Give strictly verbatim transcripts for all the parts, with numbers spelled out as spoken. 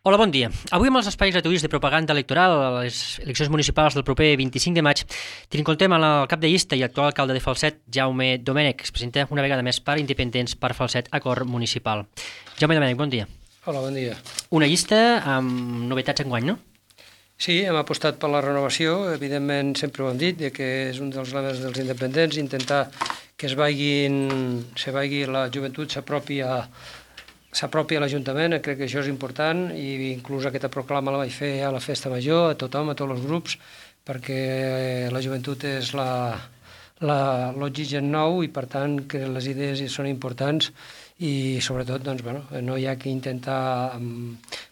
Hola, bon dia. Avui amb els espais gratuïts de propaganda electoral a les eleccions municipals del proper vint-i-cinc de maig trincontem amb el cap de llista i actual alcalde de Falset, Jaume Domènech, que es presenta una vegada més per Independents per Falset Acord Municipal. Jaume Domènech, bon dia. Hola, bon dia. Una llista amb novetats enguany, no? Sí, hem apostat per la renovació, evidentment sempre ho hem dit, que és un dels lemes dels independents, intentar que es vagin, se vagi la joventut s'apropi a s'apropi a l'Ajuntament, crec que això és important, i inclús aquesta proclama la vaig fer a la festa major, a tothom, a tots els grups, perquè la joventut és l'oxigen nou i per tant que les idees són importants i sobretot doncs, bueno, no hi ha que intentar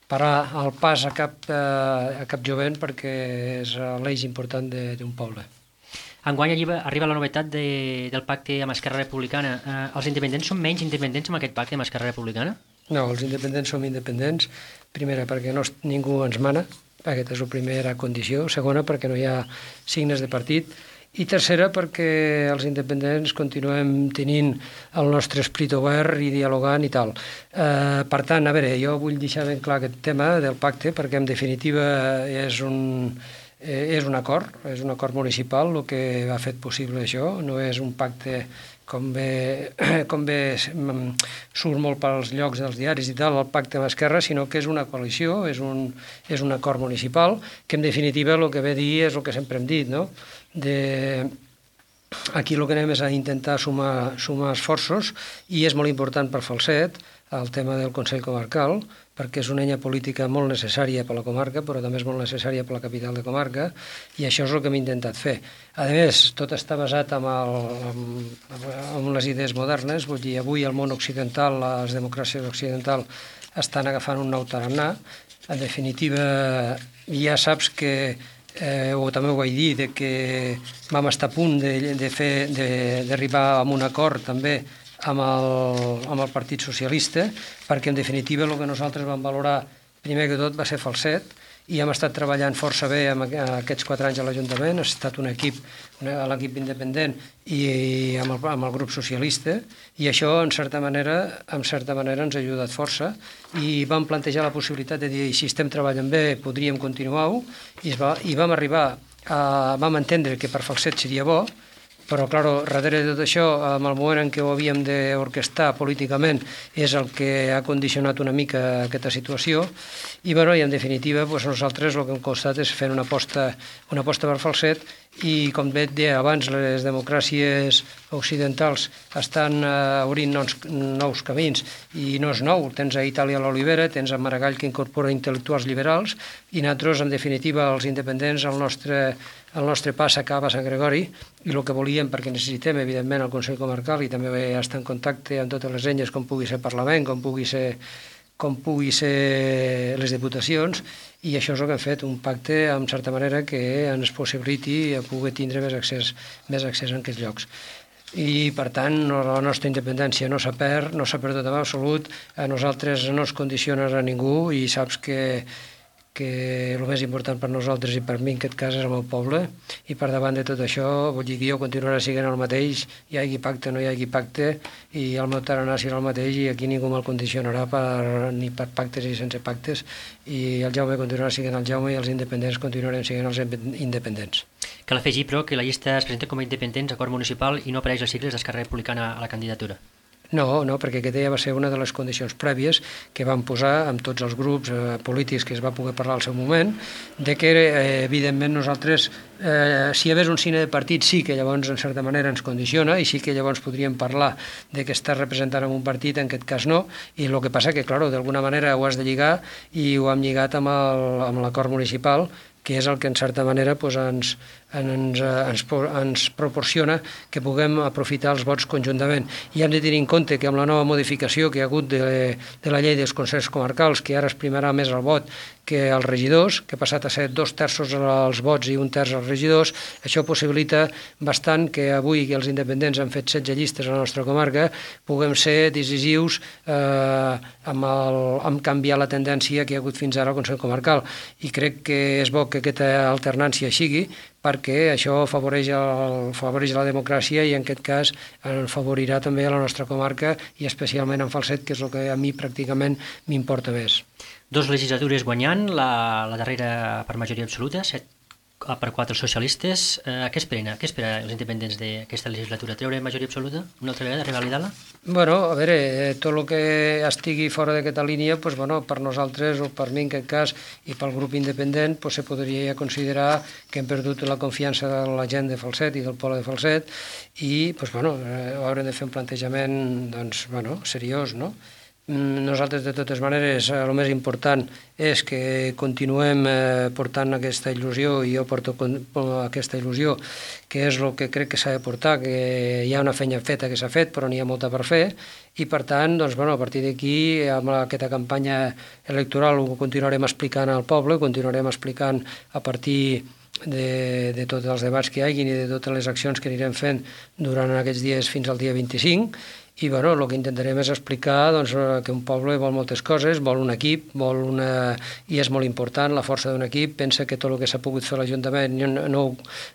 parar el pas a cap, a cap jovent perquè és l'eix important d'un poble. Enguany arriba la novetat de, del pacte amb Esquerra Republicana. Eh, els independents són menys independents amb aquest pacte amb Esquerra Republicana? No, els independents som independents. Primera, perquè no, ningú ens mana, aquesta és la primera condició. Segona, perquè no hi ha signes de partit. I tercera, perquè els independents continuem tenint el nostre esperit obert i dialogant i tal. Eh, per tant, a veure, jo vull deixar ben clar aquest tema del pacte, perquè en definitiva és un... Eh, és un acord, és un acord municipal el que ha fet possible això, no és un pacte com bé, com bé surt molt pels llocs dels diaris i tal, el pacte amb Esquerra, sinó que és una coalició, és un, és un acord municipal, que en definitiva el que ve a dir és el que sempre hem dit, no? De... Aquí el que anem és a intentar sumar, sumar esforços i és molt important per Falset el tema del Consell Comarcal, perquè és una eina política molt necessària per la comarca, però també és molt necessària per la capital de comarca, i això és el que hem intentat fer. A més, tot està basat en, el, en, en les idees modernes, vull dir, avui el món occidental, les democràcies occidentals, estan agafant un nou tarannà. En definitiva, ja saps que Eh, o també ho vaig dir, de que vam estar a punt d'arribar a un acord també amb el, amb el Partit Socialista, perquè en definitiva el que nosaltres vam valorar primer que tot va ser Falset, i hem estat treballant força bé amb aquests quatre anys a l'Ajuntament, ha estat un equip, l'equip independent i amb el, amb el grup socialista, i això en certa manera en certa manera ens ha ajudat força, i vam plantejar la possibilitat de dir, si estem treballant bé podríem continuar-ho, i, va, i vam arribar a, vam entendre que per Falset seria bo, però, clar, darrere de tot això, en el moment en què ho havíem d'orquestar políticament, és el que ha condicionat una mica aquesta situació, i, bueno, i en definitiva, doncs, nosaltres el que hem costat és fer una aposta, una aposta per Falset, i, com bé et deia abans, les democràcies occidentals estan eh, obrint nous, nous camins, i no és nou, tens a Itàlia l'Olivera, tens a Maragall que incorpora intel·lectuals liberals, i nosaltres, en definitiva, els independents, el nostre, el nostre pas acaba a Sant Gregori, i el que volíem, perquè necessitem, evidentment, el Consell Comarcal, i també estar en contacte amb totes les enyes, com pugui ser Parlament, com pugui ser, com pugui ser les diputacions, i això és el que hem fet, un pacte, en certa manera, que ens possibiliti poder tindre més accés, més accés en aquests llocs. I, per tant, la nostra independència no s'ha perd, no s'ha perdut en absolut, a nosaltres no ens condiciona a ningú, i saps que que el més important per nosaltres i per mi en aquest cas és el meu poble, i per davant de tot això vull dir que jo continuaré sent el mateix, hi hagi pacte o no hi hagi pacte, i el meu tarannà serà el mateix, i aquí ningú me'l condicionarà per, ni per pactes ni sense pactes, i el Jaume continuarà sent el Jaume i els independents continuarem sent els independents. Cal afegir, però, que la llista es presenta com a independents, acord municipal, i no apareix les sigles d'Esquerra Republicana a la candidatura. No, no, perquè aquesta ja va ser una de les condicions prèvies que vam posar amb tots els grups eh, polítics que es va poder parlar al seu moment, de que, eh, evidentment, nosaltres, eh, si hi hagués un signe de partit, sí que llavors, en certa manera, ens condiciona, i sí que llavors podríem parlar de que estàs representant en un partit, en aquest cas no, i el que passa que, clar, d'alguna manera ho has de lligar, i ho hem lligat amb l'acord municipal, que és el que en certa manera doncs, ens, ens, ens, ens proporciona que puguem aprofitar els vots conjuntament. I hem de tenir en compte que amb la nova modificació que hi ha hagut de, de la llei dels consells comarcals, que ara es primarà més el vot que els regidors, que ha passat a ser dos terços als vots i un terç als regidors, això possibilita bastant que avui que els independents han fet setze llistes a la nostra comarca, puguem ser decisius eh, amb, el, amb canviar la tendència que hi ha hagut fins ara al Consell Comarcal. I crec que és bo que aquesta alternància sigui, perquè això afavoreix, el, afavoreix la democràcia i en aquest cas afavorirà també a la nostra comarca i especialment en Falset, que és el que a mi pràcticament m'importa més. Dos legislatures guanyant, la, la darrera per majoria absoluta, set per quatre socialistes. Eh, què esperen? Què espera els independents d'aquesta legislatura? Treure majoria absoluta una altra vegada, revalidar-la? Bueno, a veure, tot el que estigui fora d'aquesta línia, pues, bueno, per nosaltres, o per mi en aquest cas, i pel grup independent, pues, se podria considerar que hem perdut la confiança de la gent de Falset i del poble de Falset i pues, bueno, haurem de fer un plantejament doncs, bueno, seriós, no? Nosaltres, de totes maneres, el més important és que continuem eh, portant aquesta il·lusió, i jo porto aquesta il·lusió, que és el que crec que s'ha de portar, que hi ha una feina feta que s'ha fet, però n'hi ha molta per fer, i per tant, doncs, bueno, a partir d'aquí, amb aquesta campanya electoral ho continuarem explicant al poble, continuarem explicant a partir de, de tots els debats que hi hagin i de totes les accions que anirem fent durant aquests dies fins al dia vint-i-cinc, i bueno, el que intentarem és explicar doncs, que un poble vol moltes coses, vol un equip, vol una... i és molt important la força d'un equip, pensa que tot el que s'ha pogut fer a l'Ajuntament no, no,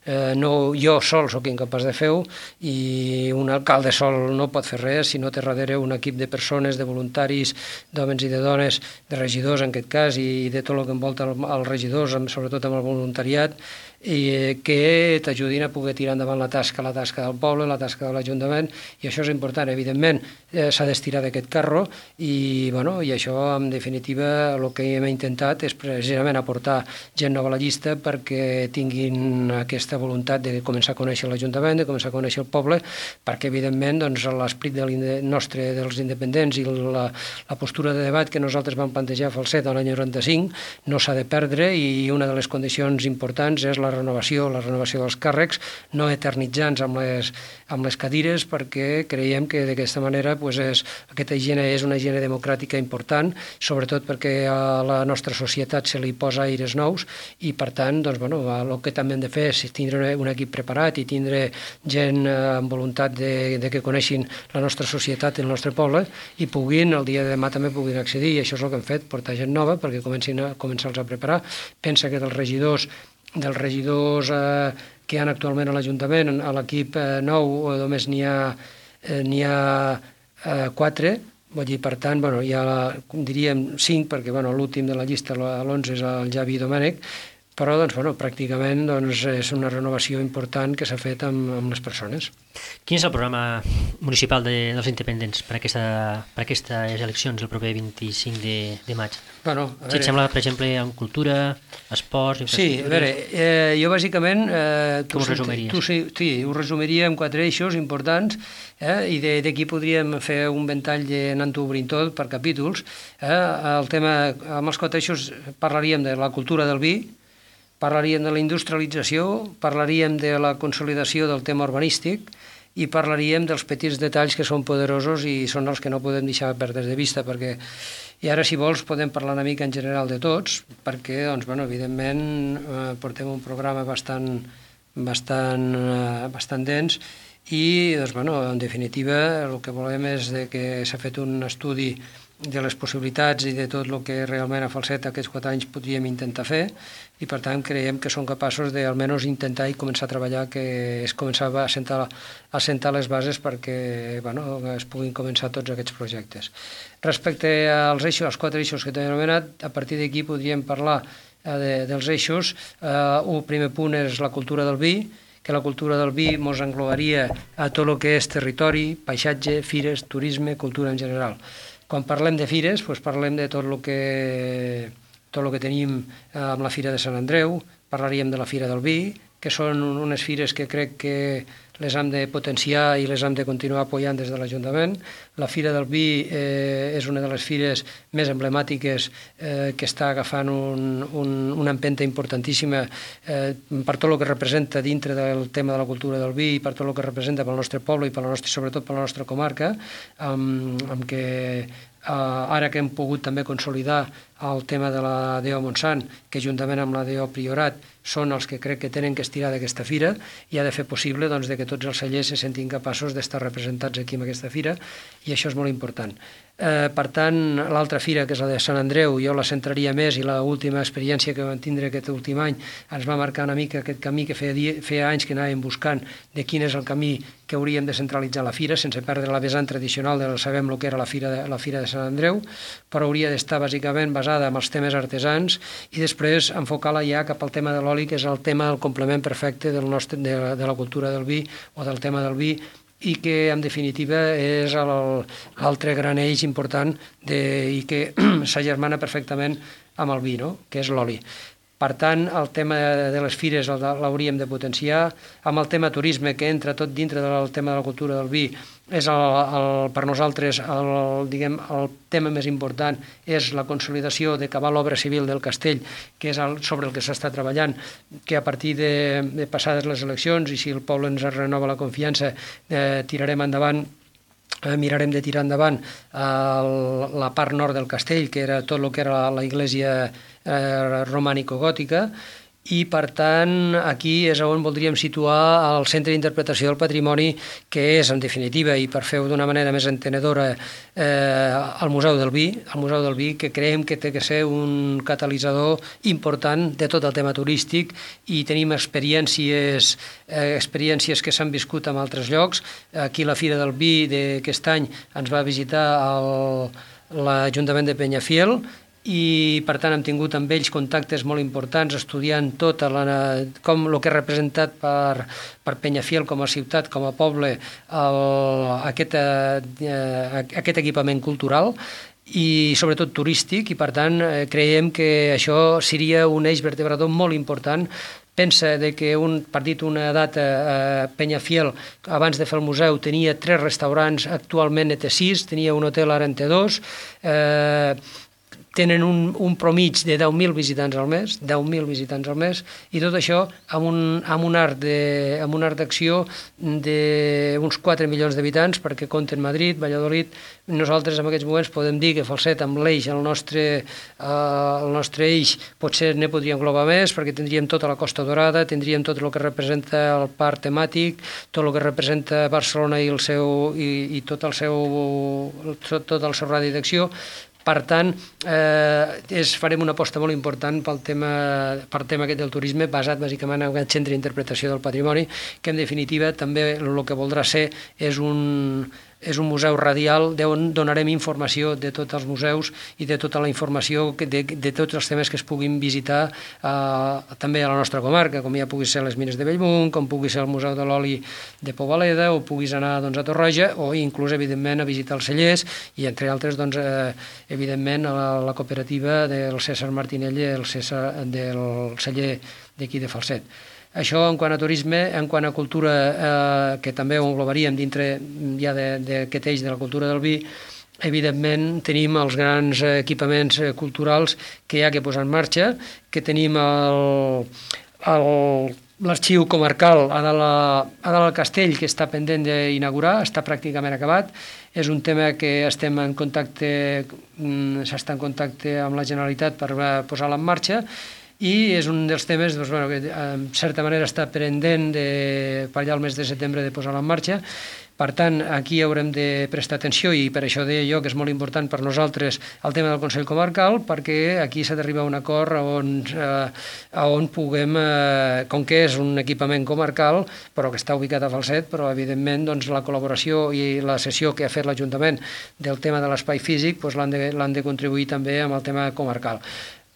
eh, no jo sol sóc incapaç de fer-ho, i un alcalde sol no pot fer res si no té darrere un equip de persones, de voluntaris, d'homes i de dones, de regidors en aquest cas, i de tot el que envolta els regidors, sobretot amb el voluntariat, i que t'ajudin a poder tirar endavant la tasca, la tasca del poble, la tasca de l'Ajuntament, i això és important. Evidentment, eh, s'ha d'estirar d'aquest carro, i, bueno, i això, en definitiva, el que hem intentat és precisament aportar gent nova a la llista perquè tinguin aquesta voluntat de començar a conèixer l'Ajuntament, de començar a conèixer el poble, perquè, evidentment, doncs, l'esperit nostre dels independents i la, la postura de debat que nosaltres vam plantejar a Falset l'any noranta-cinc no s'ha de perdre, i una de les condicions importants és la renovació, la renovació dels càrrecs, no eternitzants amb les, amb les cadires, perquè creiem que d'aquesta manera pues, és, aquesta higiene és una higiene democràtica important, sobretot perquè a la nostra societat se li posa aires nous, i per tant, doncs, bueno, el que també hem de fer és tindre un equip preparat i tindre gent amb voluntat de, de que coneixin la nostra societat i el nostre poble, i puguin, el dia de demà també puguin accedir, i això és el que hem fet, portar gent nova perquè comencin a començar-los a preparar. Pensa que dels regidors dels regidors eh, que hi ha actualment a l'Ajuntament, a l'equip eh, nou només n'hi ha, eh, n'hi ha eh, quatre, vull dir, per tant, bueno, hi ha, diríem, cinc, perquè bueno, l'últim de la llista, l'onze, és el Javi Domènech, però doncs, bueno, pràcticament doncs, és una renovació important que s'ha fet amb, amb les persones. Quin és el programa municipal de, dels independents per, aquesta, per aquestes eleccions el proper vint-i-cinc de, de maig? Bueno, a si et sembla, per exemple, en cultura, esports... Sí, a veure, eh, jo bàsicament... Eh, Com ho resumiries? Tu, sí, sí, ho resumiria en quatre eixos importants, eh, i d'aquí podríem fer un ventall anant-ho obrint tot per capítols. Eh, el tema, amb els quatre eixos parlaríem de la cultura del vi, parlaríem de la industrialització, parlaríem de la consolidació del tema urbanístic i parlaríem dels petits detalls que són poderosos i són els que no podem deixar perdre de vista, perquè, i ara si vols podem parlar una mica en general de tots, perquè doncs, bueno, evidentment eh, portem un programa bastant, bastant, eh, bastant dens, i doncs, bueno, en definitiva el que volem és de que s'ha fet un estudi de les possibilitats i de tot el que realment a Falset aquests quatre anys podríem intentar fer, i per tant creiem que som capaços de almenys intentar i començar a treballar, que és començar a assentar, a assentar les bases perquè bueno, es puguin començar tots aquests projectes. Respecte als eixos, als quatre eixos que t'he anomenat, a partir d'aquí podríem parlar eh, de, dels eixos. Eh, un primer punt és la cultura del vi, que la cultura del vi ens englobaria a tot el que és territori, paisatge, fires, turisme, cultura en general. Quan parlem de fires, doncs parlem de tot el que, tot el que tenim amb la Fira de Sant Andreu, parlaríem de la Fira del Vi, que són unes fires que crec que les hem de potenciar i les hem de continuar apoyant des de l'Ajuntament. La Fira del Vi eh, és una de les fires més emblemàtiques eh, que està agafant un, un, una empenta importantíssima eh, per tot el que representa dintre del tema de la cultura del vi i per tot el que representa pel nostre poble i per la nostra, sobretot per la nostra comarca, amb, amb què Uh, ara que hem pogut també consolidar el tema de la D O Montsant, que juntament amb la D O Priorat són els que crec que tenen que estirar d'aquesta fira, i ha de fer possible doncs, de que tots els cellers se sentin capaços d'estar representats aquí en aquesta fira, i això és molt important. Eh, per tant, l'altra fira, que és la de Sant Andreu, jo la centraria més, i l'última experiència que vam tindre aquest últim any ens va marcar una mica aquest camí que feia, dia, feia anys que anàvem buscant de quin és el camí que hauríem de centralitzar la fira, sense perdre la vessant tradicional de sabem el que era la fira de, la fira de Sant Andreu, però hauria d'estar bàsicament basada en els temes artesans i després enfocar-la ja cap al tema de l'oli, que és el tema, el complement perfecte del nostre, de, de la cultura del vi o del tema del vi, i que, en definitiva, és l'altre gran eix important de, i que s'agermana perfectament amb el vi, no?, que és l'oli. Per tant, el tema de les fires l'hauríem de potenciar. Amb el tema turisme, que entra tot dintre del tema de la cultura del vi, és el, el, per nosaltres el, diguem, el tema més important és la consolidació d'acabar l'obra civil del castell, que és el, sobre el que s'està treballant, que a partir de, de passades les eleccions, i si el poble ens renova la confiança, eh, tirarem endavant Eh, mirarem de tirar endavant eh, la part nord del castell, que era tot el que era la, la iglesia eh, romànico-gòtica, i, per tant, aquí és on voldríem situar el centre d'interpretació del patrimoni, que és, en definitiva, i per fer-ho d'una manera més entenedora, eh, el Museu del Vi, el Museu del Vi, que creiem que té que ser un catalitzador important de tot el tema turístic, i tenim experiències, eh, experiències que s'han viscut en altres llocs. Aquí la Fira del Vi d'aquest any ens va visitar el, l'Ajuntament de Peñafiel, i per tant hem tingut amb ells contactes molt importants, estudiant tot la, com el que ha representat per, per Peñafiel com a ciutat, com a poble, el, aquest, eh, aquest equipament cultural i sobretot turístic, i per tant eh, creiem que això seria un eix vertebrador molt important. Pensa de que, un, per dir una data, eh, Peñafiel, abans de fer el museu, tenia tres restaurants, actualment en té sis, tenia un hotel, ara en té dos, eh, tenen un, un promig de deu mil visitants al mes, deu mil visitants al mes, i tot això amb un, amb un art de, amb un art d'acció d'uns quatre milions d'habitants, perquè compten Madrid, Valladolid. Nosaltres en aquests moments podem dir que Falset, amb l'eix, el nostre, eh, el nostre eix, potser ne podria englobar més, perquè tindríem tota la Costa Dorada, tindríem tot el que representa el parc temàtic, tot el que representa Barcelona i, el seu, i, i tot el seu, tot, tot el seu radi d'acció. Per tant, eh, és, farem una aposta molt important pel tema, per tema aquest del turisme, basat bàsicament en aquest centre d'interpretació del patrimoni, que en definitiva també el que voldrà ser és un, és un museu radial d'on donarem informació de tots els museus i de tota la informació de, de tots els temes que es puguin visitar eh, també a la nostra comarca, com ja pugui ser les mines de Bellmunt, com pugui ser el Museu de l'Oli de Pobaleda, o puguis anar doncs, a Torroja, o inclús, evidentment, a visitar els cellers, i entre altres, doncs, eh, evidentment, a la, la cooperativa del César Martinelli, el César, del celler d'aquí de Falset. Això en quant a turisme. En quant a cultura, eh, que també ho englobaríem dintre ja d'aquest eix de la cultura del vi, evidentment tenim els grans equipaments culturals que hi ha que posar en marxa, que tenim el, el, l'arxiu comarcal a dalt, a dalt al castell, que està pendent d'inaugurar, està pràcticament acabat. És un tema que estem en contacte, s'està en contacte amb la Generalitat per posar-la en marxa, i és un dels temes doncs, bueno, que en certa manera està pendent de, per allà al mes de setembre de posar-la en marxa. Per tant, aquí haurem de prestar atenció, i per això deia jo que és molt important per nosaltres el tema del Consell Comarcal, perquè aquí s'ha d'arribar a un acord on, eh, on puguem, eh, com que és un equipament comarcal, però que està ubicat a Falset, però evidentment doncs, la col·laboració i la sessió que ha fet l'Ajuntament del tema de l'espai físic doncs, l'han de, l'han de contribuir també amb el tema comarcal.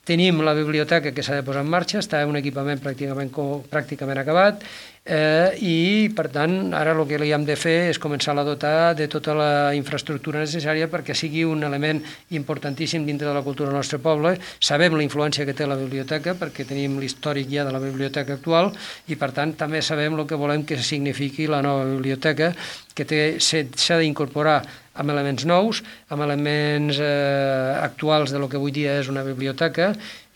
Tenim la biblioteca que s'ha de posar en marxa, està un equipament pràcticament, pràcticament acabat, eh, i per tant ara el que li hem de fer és començar a dotar de tota la infraestructura necessària perquè sigui un element importantíssim dintre de la cultura del nostre poble. Sabem la influència que té la biblioteca perquè tenim l'històric ja de la biblioteca actual, i per tant també sabem el que volem que signifiqui la nova biblioteca, que té, s'ha d'incorporar amb elements nous, amb elements eh, actuals de lo que avui dia és una biblioteca,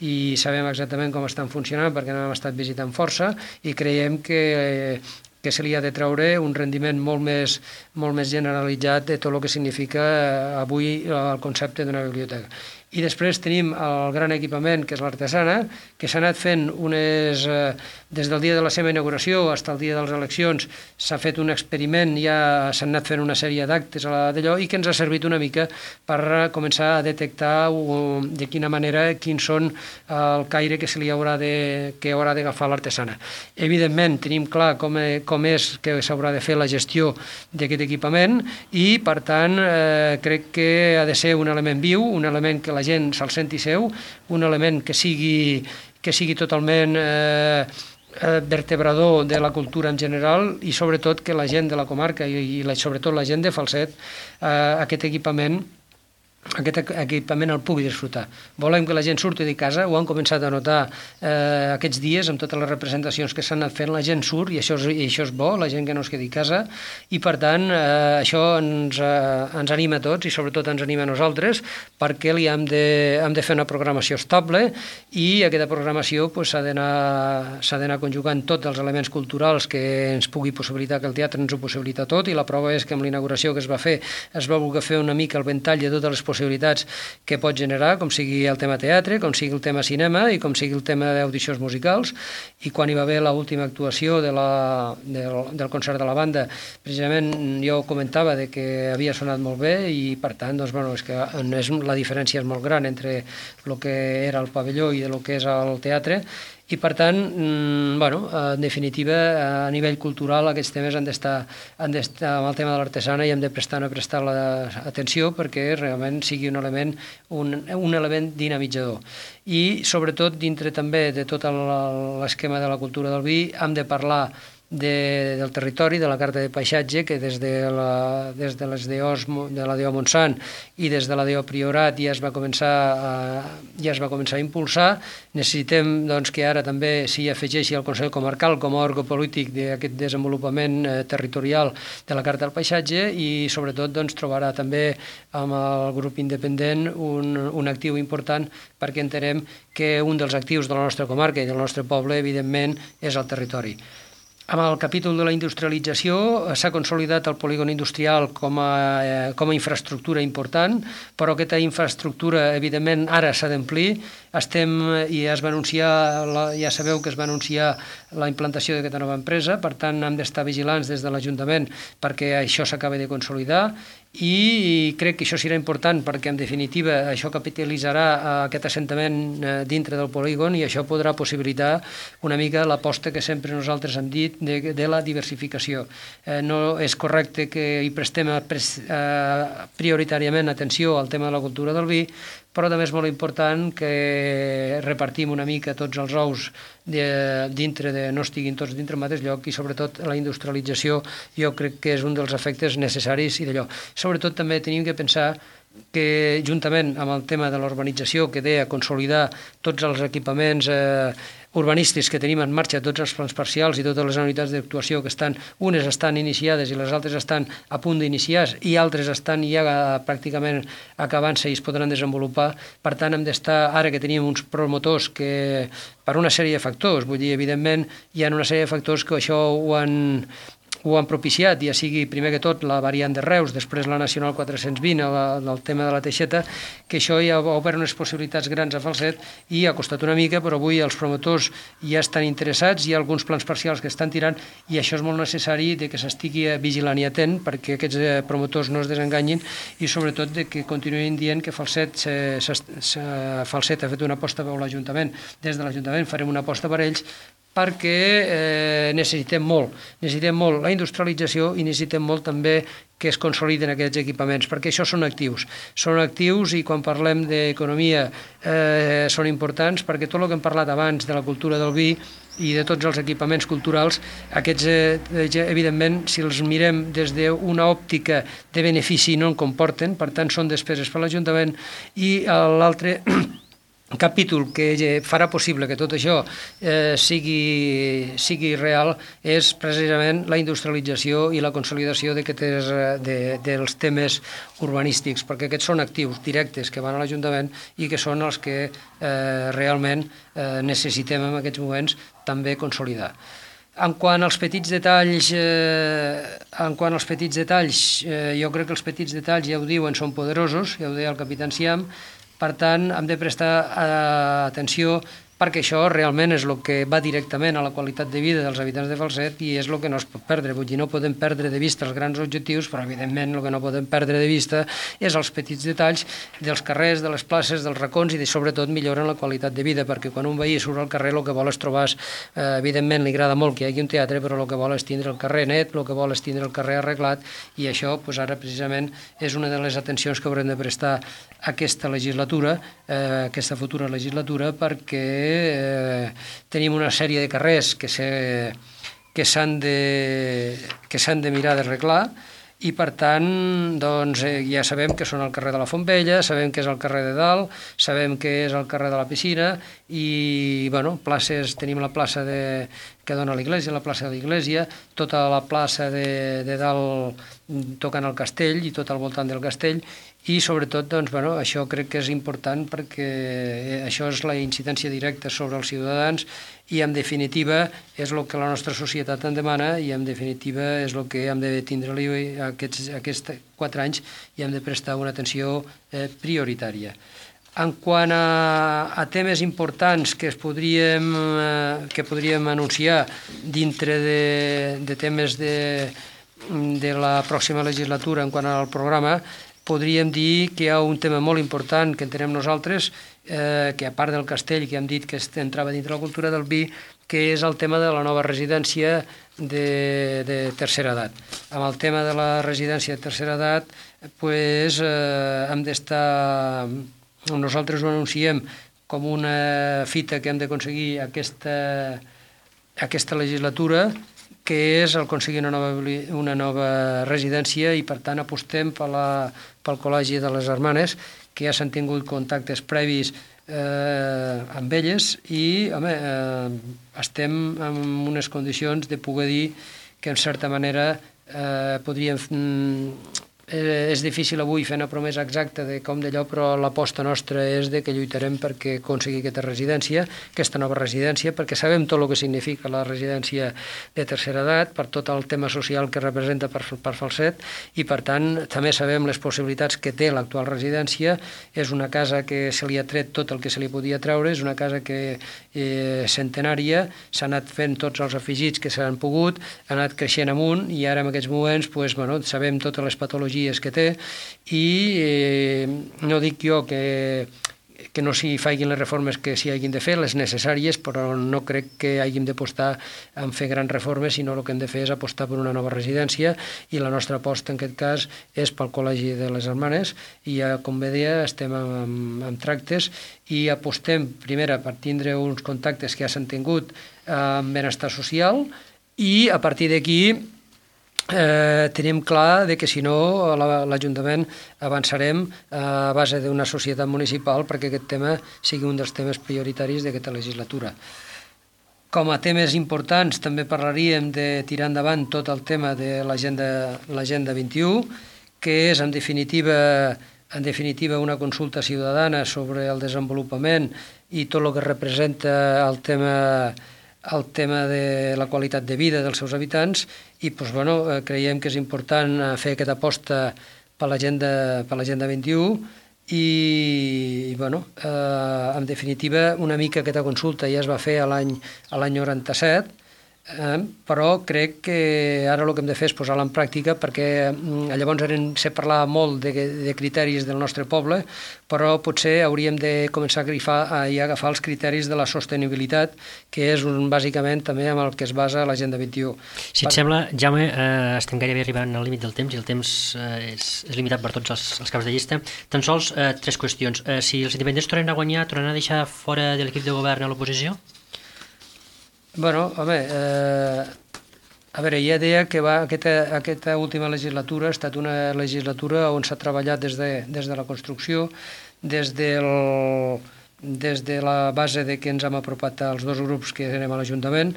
i sabem exactament com estan funcionant perquè no hem estat visitant força, i creiem que, que se li ha de treure un rendiment molt més, molt més generalitzat de tot el que significa avui el concepte d'una biblioteca. I després tenim el gran equipament, que és l'Artesana, que s'ha anat fent unes... Eh, des del dia de la seva inauguració fins al dia de les eleccions s'ha fet un experiment, ja s'han anat fent una sèrie d'actes d'allò i que ens ha servit una mica per començar a detectar de quina manera, quins són el caire que se li haurà de, que haurà d'agafar l'Artesana. Evidentment, tenim clar com, com és que s'haurà de fer la gestió d'aquest equipament i, per tant, eh, crec que ha de ser un element viu, un element que la gent se'l senti seu, un element que sigui, que sigui totalment eh, vertebrador de la cultura en general i sobretot que la gent de la comarca i, i la, sobretot la gent de Falset eh, aquest equipament aquest equipament el pugui disfrutar. Volem que la gent surti de casa, ho han començat a notar eh, aquests dies amb totes les representacions que s'han anat fent, la gent surt i això és, i això és bo, la gent que no es quedi a casa i per tant eh, això ens, eh, ens anima a tots i sobretot ens anima a nosaltres perquè li hem de, hem de fer una programació estable i aquesta programació pues, s'ha d'anar s'ha d'anar conjugant tots els elements culturals que ens pugui possibilitar, que el teatre ens ho possibilita tot i la prova és que amb la inauguració que es va fer es va voler fer una mica el ventall de totes les possibilitats que pot generar, com sigui el tema teatre, com sigui el tema cinema i com sigui el tema d'audicions musicals. I quan hi va haver l'última actuació de la, del, del concert de la banda, precisament jo comentava de que havia sonat molt bé i per tant, doncs, bueno, és que és, la diferència és molt gran entre el que era el pavelló i el que és el teatre. I, per tant, bueno, en definitiva, a nivell cultural aquests temes han d'estar han d'estar amb el tema de l'artesana i hem de prestar, no prestar l'atenció perquè realment sigui un element, un, un element dinamitzador. I, sobretot, dintre també de tot l'esquema de la cultura del vi, hem de parlar De, del territori, de la carta de paisatge, que des de la, des de les D Os de la D O Montsant i des de la D O Priorat ja es va començar a, ja es va començar a impulsar. Necessitem doncs, que ara també s'hi afegeixi el Consell Comarcal com a òrgan polític d'aquest desenvolupament eh, territorial de la carta del paisatge i sobretot doncs, trobarà també amb el grup independent un, un actiu important perquè entenem que un dels actius de la nostra comarca i del nostre poble evidentment és el territori. Amb el capítol de la industrialització s'ha consolidat el polígon industrial com a, eh, com a infraestructura important, però aquesta infraestructura, evidentment, ara s'ha d'omplir. Estem, i ja es va anunciar, la, ja sabeu que es va anunciar la implantació d'aquesta nova empresa, per tant, hem d'estar vigilants des de l'Ajuntament perquè això s'acabi de consolidar i crec que això serà important perquè, en definitiva, això capitalitzarà aquest assentament dintre del polígon i això podrà possibilitar una mica l'aposta que sempre nosaltres hem dit de, de la diversificació. Eh, no és correcte que hi prestem a, a, prioritàriament atenció al tema de la cultura del vi, però també és molt important que repartim una mica tots els ous de, dintre de, no estiguin tots dintre del mateix lloc i sobretot la industrialització jo crec que és un dels efectes necessaris i d'allò. Sobretot també tenim que pensar que juntament amb el tema de l'urbanització que deia consolidar tots els equipaments eh, urbanístics que tenim en marxa, tots els plans parcials i totes les unitats d'actuació que estan, unes estan iniciades i les altres estan a punt d'iniciar i altres estan ja pràcticament acabant-se i es podran desenvolupar. Per tant, hem d'estar, ara que tenim uns promotors que, per una sèrie de factors, vull dir, evidentment, hi ha una sèrie de factors que això ho han ho han propiciat, ja sigui primer que tot la variant de Reus, després la Nacional quatre-cents vint, el, el tema de la Teixeta, que això ja ha obert unes possibilitats grans a Falset i ha costat una mica, però avui els promotors ja estan interessats, hi ha alguns plans parcials que estan tirant i això és molt necessari de que s'estigui vigilant i atent perquè aquests promotors no es desenganyin i sobretot de que continuïn dient que Falset, se, se, se, Falset ha fet una aposta per l'Ajuntament, des de l'Ajuntament farem una aposta per ells perquè eh, necessitem molt, necessitem molt la industrialització i necessitem molt també que es consoliden aquests equipaments, perquè això són actius. Són actius i quan parlem d'economia eh, són importants perquè tot el que hem parlat abans de la cultura del vi i de tots els equipaments culturals, aquests, eh, evidentment, si els mirem des d'una òptica de benefici no en comporten, per tant són despeses per l'Ajuntament i l'altre capítol que farà possible que tot això eh, sigui, sigui real és precisament la industrialització i la consolidació de, de, dels temes urbanístics, perquè aquests són actius directes que van a l'Ajuntament i que són els que eh, realment eh, necessitem en aquests moments també consolidar. En quant als petits detalls, eh, en quant als petits detalls, eh, jo crec que els petits detalls, ja ho diuen, són poderosos, ja ho deia el capità Enciam, Per tant, hem de prestar atenció perquè això realment és el que va directament a la qualitat de vida dels habitants de Falset i és el que no es pot perdre. Vull dir, no podem perdre de vista els grans objectius, però evidentment el que no podem perdre de vista és els petits detalls dels carrers, de les places, dels racons i de, sobretot milloren la qualitat de vida, perquè quan un veí surt al carrer el que vol és trobar, eh, evidentment li agrada molt que hi hagi un teatre, però el que vol és tindre el carrer net, el que vol és tindre el carrer arreglat i això pues, ara precisament és una de les atencions que haurem de prestar aquesta legislatura, eh, aquesta futura legislatura, perquè eh, tenim una sèrie de carrers que se, que s'han de, que s'han de mirar d'arreglar i per tant doncs, eh, ja sabem que són el carrer de la Fontvella, sabem que és el carrer de Dalt, sabem que és el carrer de la Piscina i bueno, places, tenim la plaça de, que dona a l'església, la plaça de l'església, tota la plaça de, de Dalt tocant el castell i tot al voltant del castell i sobretot doncs, bueno, això crec que és important perquè això és la incidència directa sobre els ciutadans i en definitiva és el que la nostra societat en demana i en definitiva és el que hem de tindre-li aquests, aquests quatre anys i hem de prestar una atenció eh, prioritària. En quant a, a temes importants que, es podríem, eh, que podríem anunciar dintre de, de temes de, de la pròxima legislatura en quant al programa, podríem dir que hi ha un tema molt important que entenem nosaltres, eh, que a part del castell, que hem dit que entrava dintre la cultura del vi, que és el tema de la nova residència de, de tercera edat. Amb el tema de la residència de tercera edat, pues, eh, hem d'estar... Nosaltres ho anunciem com una fita que hem d'aconseguir aquesta, aquesta legislatura, que és aconseguir una nova, una nova residència i per tant apostem per la, pel Col·legi de les Hermanes, que ja s'han tingut contactes previs eh, amb elles i home, eh, estem en unes condicions de poder dir que en certa manera eh, podríem... Mm, és difícil avui fer una promesa exacta de com d'allò, però l'aposta nostra és de que lluitarem perquè aconseguir aquesta residència, aquesta nova residència, perquè sabem tot el que significa la residència de tercera edat, per tot el tema social que representa per, per Falset, i per tant també sabem les possibilitats que té l'actual residència. És una casa que se li ha tret tot el que se li podia treure, és una casa que eh, centenària, s'ha anat fent tots els afegits que s'han pogut, ha anat creixent amunt i ara en aquests moments pues, bueno, sabem totes les patologies que té i eh, no dic jo que, que no s'hi facin les reformes que s'hi hagin de fer, les necessàries, però no crec que hàgim d'apostar en fer grans reformes, sinó el que hem de fer és apostar per una nova residència i la nostra aposta en aquest cas és pel Col·legi de les Hermanes i ja, com bé deia, estem amb, amb tractes i apostem primera per tindre uns contactes que ja s'han tingut amb benestar social i a partir d'aquí Eh, tenim clar de que si no l'Ajuntament avançarem a base d'una societat municipal perquè aquest tema sigui un dels temes prioritaris d'aquesta legislatura. Com a temes importants també parlaríem de tirar endavant tot el tema de l'Agenda vint i u, que és en definitiva, en definitiva una consulta ciutadana sobre el desenvolupament i tot el que representa el tema el tema de la qualitat de vida dels seus habitants i doncs, bueno, creiem que és important fer aquesta aposta per l'Agenda per l'Agenda vint i u i, i bueno, eh, en definitiva una mica aquesta consulta ja es va fer a l'any a l'any noranta-set, eh, però crec que ara el que hem de fer és posar-la en pràctica perquè eh, llavors se parlava molt de, de criteris del nostre poble, però potser hauríem de començar a, grifar, a, a agafar els criteris de la sostenibilitat, que és un, bàsicament també amb el que es basa l'Agenda vint i u. Si et per... sembla, Jaume, eh, estem gairebé arribant al límit del temps i el temps eh, és, és limitat per tots els, els caps de llista. Tan sols eh, tres qüestions. Eh, si els independents tornen a guanyar, tornen a deixar fora de l'equip de govern a l'oposició? Bueno, home, eh, a veure, ja deia que va, aquesta, aquesta última legislatura ha estat una legislatura on s'ha treballat des de, des de la construcció, des, del, des de la base de que ens hem apropat als dos grups que anem a l'Ajuntament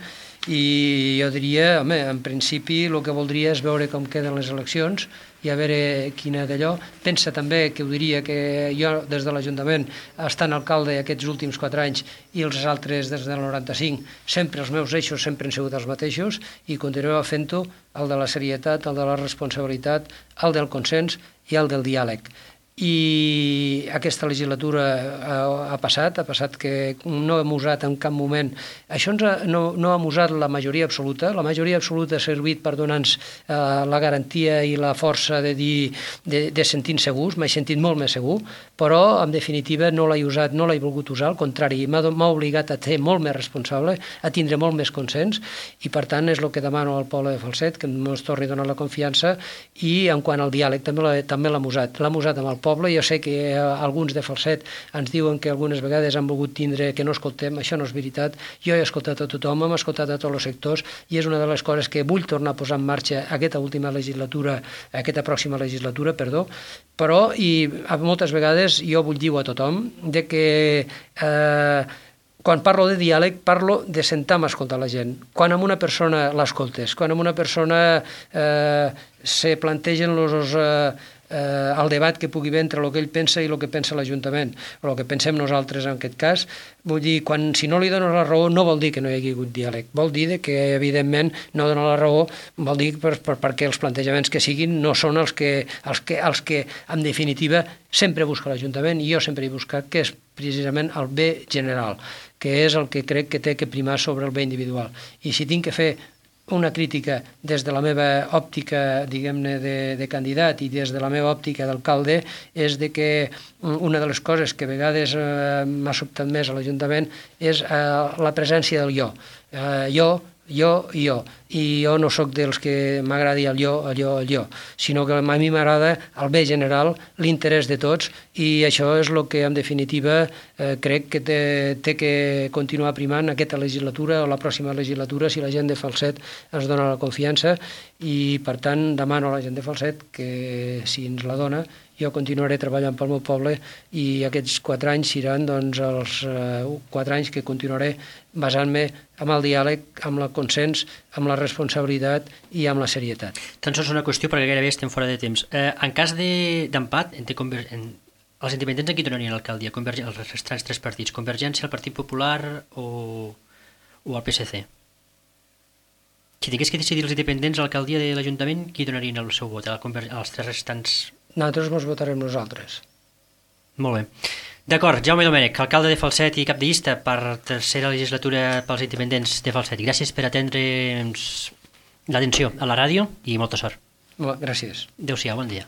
i jo diria, home, en principi el que voldria és veure com queden les eleccions i a veure quina d'allò. Pensa també que ho diria que jo des de l'Ajuntament, estant alcalde aquests últims quatre anys i els altres des del noranta-cinc, sempre els meus eixos sempre han sigut els mateixos i continuem fent-ho, el de la serietat, el de la responsabilitat, el del consens i el del diàleg. i aquesta legislatura ha, ha passat, ha passat que no hem usat en cap moment, això ens ha, no, no hem usat la majoria absoluta, la majoria absoluta ha servit per donar-nos eh, la garantia i la força de dir, de, de sentir-nos segurs, m'he sentit molt més segur, però en definitiva no l'he usat, no l'he volgut usar, al contrari, m'ha obligat a ser molt més responsable, a tindre molt més consens, i per tant és el que demano al poble de Falset, que ens torni a donar la confiança, i en quant al diàleg també l'hem usat, l'hem usat amb el poble. Jo sé que eh, alguns de Falset ens diuen que algunes vegades han volgut tindre que no escoltem, això no és veritat. Jo he escoltat a tothom, hem escoltat a tots els sectors i és una de les coses que vull tornar a posar en marxa aquesta última legislatura, aquesta pròxima legislatura, perdó, però i moltes vegades jo vull dir a tothom de que eh, quan parlo de diàleg, parlo de sentar-me a escoltar la gent. Quan amb una persona l'escoltes, quan amb una persona eh, se plantegen els... Eh, eh, el debat que pugui haver entre el que ell pensa i el que pensa l'Ajuntament, o el que pensem nosaltres en aquest cas, vull dir, quan, si no li dones la raó no vol dir que no hi hagi hagut diàleg, vol dir que evidentment no donar la raó vol dir per, per, perquè els plantejaments que siguin no són els que, els que, els que en definitiva sempre busca l'Ajuntament, i jo sempre he buscat que és precisament el bé general, que és el que crec que té que primar sobre el bé individual. I si tinc que fer una crítica des de la meva òptica, diguem-ne, de, de candidat i des de la meva òptica d'alcalde, és de que una de les coses que a vegades eh, m'ha sobtat més a l'Ajuntament és eh, la presència del jo. Eh, jo, jo i jo. I jo no sóc dels que m'agradi el jo, el jo, el jo, sinó que a mi m'agrada el bé general, l'interès de tots, i això és el que en definitiva eh, crec que té, té que continuar primant aquesta legislatura o la pròxima legislatura si la gent de Falset ens dona la confiança, i per tant demano a la gent de Falset que si ens la dona jo continuaré treballant pel meu poble, i aquests quatre anys seran doncs, els eh, quatre anys que continuaré basant-me amb el diàleg, amb el consens, amb la responsabilitat i amb la serietat. Tan sols una qüestió, perquè gairebé estem fora de temps. Eh, en cas d'empat, de, conver... en... els independents en qui donarien l'alcaldia? Converg... Els restants tres partits, Convergència, el Partit Popular o, o el P S C? Si tingués que decidir els independents a l'alcaldia de l'Ajuntament, qui donarien el seu vot? A Conver... als tres restants... Nosaltres ens votarem nosaltres. Molt bé. D'acord, Jaume Domènech, alcalde de Falset i cap de llista per tercera legislatura pels independents de Falset. Gràcies per atendre'ns l'atenció a la ràdio i molta sort. Molt, gràcies. Adéu-siau, bon dia.